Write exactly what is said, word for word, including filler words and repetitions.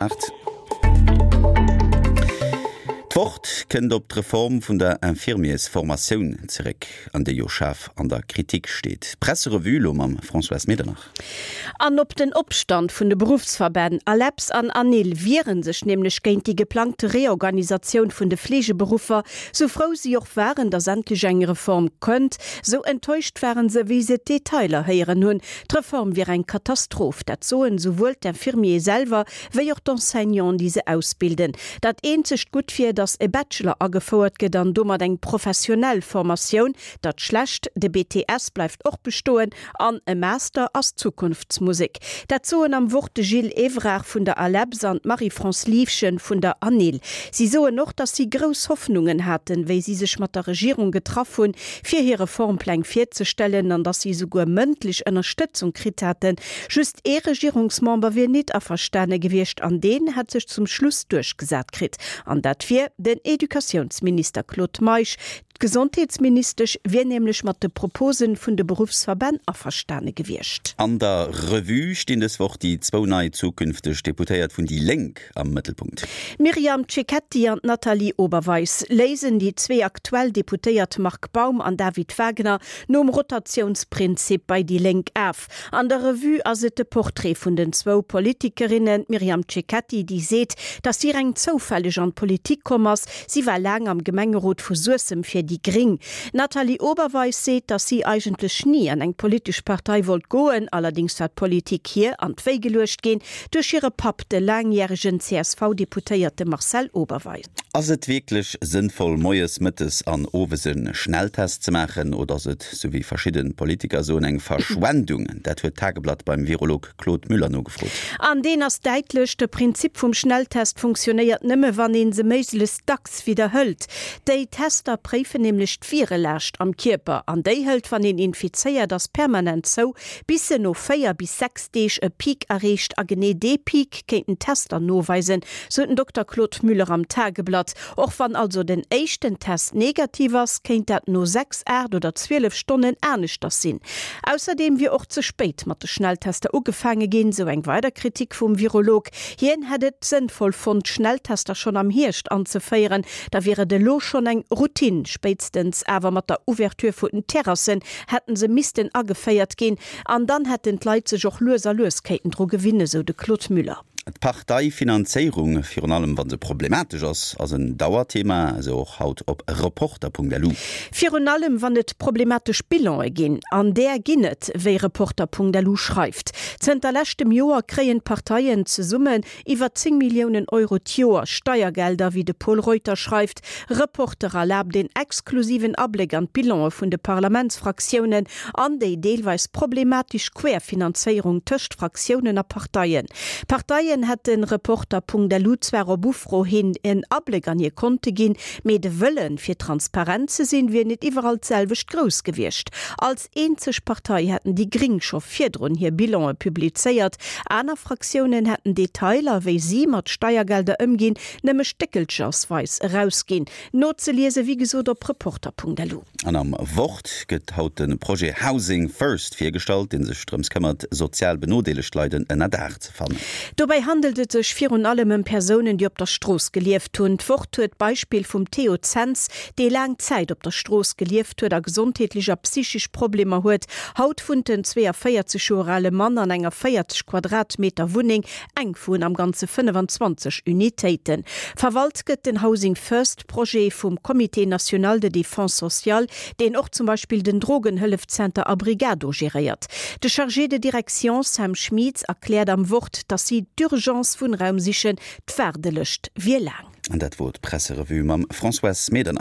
Aacht. D'Wort kënnt op d'Reform vun der Infirmiersformatioun zeréck, an déi jo schaarf an der Kritik steet. D'Presserevue lo mam Françoise Medernach. An op den Opstand vun de Beruffsverbänn ALEPS an ANIL wiere sech nämlech géint déi geplangte Reorganisatioun vun de Fleegeberuffer. Sou frou si och waren, datt endlech eng Reform kënnt, sou enttäuscht waren se, wéi se d'Detailer héieren hunn. D'Reform wier eng Katastroph, dat soen souwuel d'Infirmiere selwer wéi och d'Enseignanten, déi se ausbilden. Dat eenzegt Gutt wier, datt e Bachelor agefouert gëtt an domat eng professionell Formatioun. Dat Schlecht, de B T S bleift och bestoen an e Master ass Zukunftsmusek. Dat soen am Wort de Gilles Evrard vun der ALEPS an d'Marie-France Liefgen vun der ANIL. Si soen och, datt si grouss Hoffnungen haten, wéi si sech mat der Regierung getraff hunn, fir hir Reformpläng virzestellen an datt si souguer mëndlech Ënnerstëtzung kritt haten. Just ee Regierungsmember wier net averstane gewiescht an deen hätt sech zum Schluss duerchgesat kritt. An dat wier den Educatiounsminister Claude Meisch. D'Gesondheetsministesch wier nämlech mat de Propose vun de Beruffsverbänn averstane gewiescht. An der Revue stinn dës Woch déi zwou nei zukünfteg Deputéiert vun déi Lénk am Mëttelpunkt. D'Myriam Cecchetti an d'Nathalie Oberweis léisen déi zwee aktuell Deputéiert Marc Baum an David Wagner nom Rotatiounsprinzip bei déi Lénk of. An der Revue ass et de Portrait vun den zwou Politikerinnen Myriam Cecchetti, déi seet, datt si reng zoufälleg an d'Politik komm ass. Si war laang am Gemengerot vu Suessem fir déi Gréng. Nathalie Oberweis seet, datt si eigentlech ni an eng politesch Partei wollt goen, allerdéngs war d'Politik hir an d'Wéi geluecht ginn duerch hire Papp, de laangjäregen C S V-Deputéierte Marcel Oberweis. Ass et wierklech sënnvoll, moies, mëttes an owes e Schnelltest ze maachen oder ass et, sou wéi verschidde Politiker soen, eng Verschwendung? Dat huet d'Tageblatt beim Virolog Claude Müller nogefrot. An deen ass däitlech, de Prinzip vum Schnelltest funktionéiert nëmme wann een se méiglechst dacks widderhëlt. Déi Tester préifen nämlech d'Virelaascht am Kierper an déi hëlt, wann een infizéiert ass, permanent zou, bis se no véier bis sechs Deeg e Peak erreecht a genee dee Peak kéinten d'Tester noweisen, sou den Dokter Claude Müller am Tageblatt. Och wann also den éischten Test negativ ass, kéint dat no sechs, aacht oder zwielef Stonnen aneschters sinn. Ausserdeem wier och ze spéit mat de Schnelltester ugefaange ginn, sou eng weider Kritik vum Virolog. Hien hätt et sënnvoll fonnt, Schnelltester schonn am Hierscht anzeféieren, da wier et elo schonn eng Routine, spéitstens awer mat der Ouverture vun den Terrassen hätten se missten ageféiert ginn an dann hätten d'Leit sech och lues a lues kéinten dru gewinnen, sou de Claude Müller. D'Parteifinanzéierung, virun allem wa se problematesch ass, ass en Dauerthema, esou och haut op Reporter Punkt L U. Virun allem wann et problematesch Bilane ginn, an där ginn et, wéi Reporter Punkt L U schreift. Zënter leschtem Joer kréien d'Parteien zesummen iwwer zéng Milliounen Euro d'Joer Steiergelder, wéi de Pol Reuter schreift. Reporter erlaabt den exklusiven Abléck an d'Bilane vun de Parlamentsfraktiounen an déi deelweis problematesch Querfinanzéierung tëscht Fraktiounen a Parteien. Parteien hätten Reporter Punkt L U zwar op Ufro hin en Abléck an hir Konte ginn, mee de Wëllen, fir transparent ze sinn, wier net iwwerall d'selwecht grouss gewiescht. Als eenzeg Partei hätten déi Gréng scho virdrun hir Bilane publizéiert. Aner Fraktiounen hätten Detailer, wéi si mat Steiergelder ëmginn, nëmme stéckelchersweis erausginn. Nozeliese wéi gesot op Reporter Punkt L U. An am Wort gëtt haut de Projet Housing First virgestallt, dee sech drëms këmmert, sozial benodeelegt Leit en Ënnerdaach ze fannen. Dobäi handelt et sech virun allem ëm Persounen, déi op der Strooss gelieft hunn. D'Wort huet d'Beispill vum Theo Zenz, dee laang Zäit op der Strooss gelieft huet a gesondheetlech a psychesch Problemer huet. Haut wunnt den zwéiavéierzeg Joer ale Mann an enger véierzeg Quadratmeter Wunneng, eng vun am Ganze fënnefenzwanzeg Unitéiten. Verwalt gëtt den Housing First Projet vum Comité National de Défense Sociale, deen och zum Beispill den Drogenhëllefzenter Abrigado geréiert. De Chargé de Direction Sam Schmieds erkläert am Wort, datt si d'Urgence Wunnraum sichen, d'Waardelëscht wier laang. An dat wor d'Presserevue mam Françoise Medernach.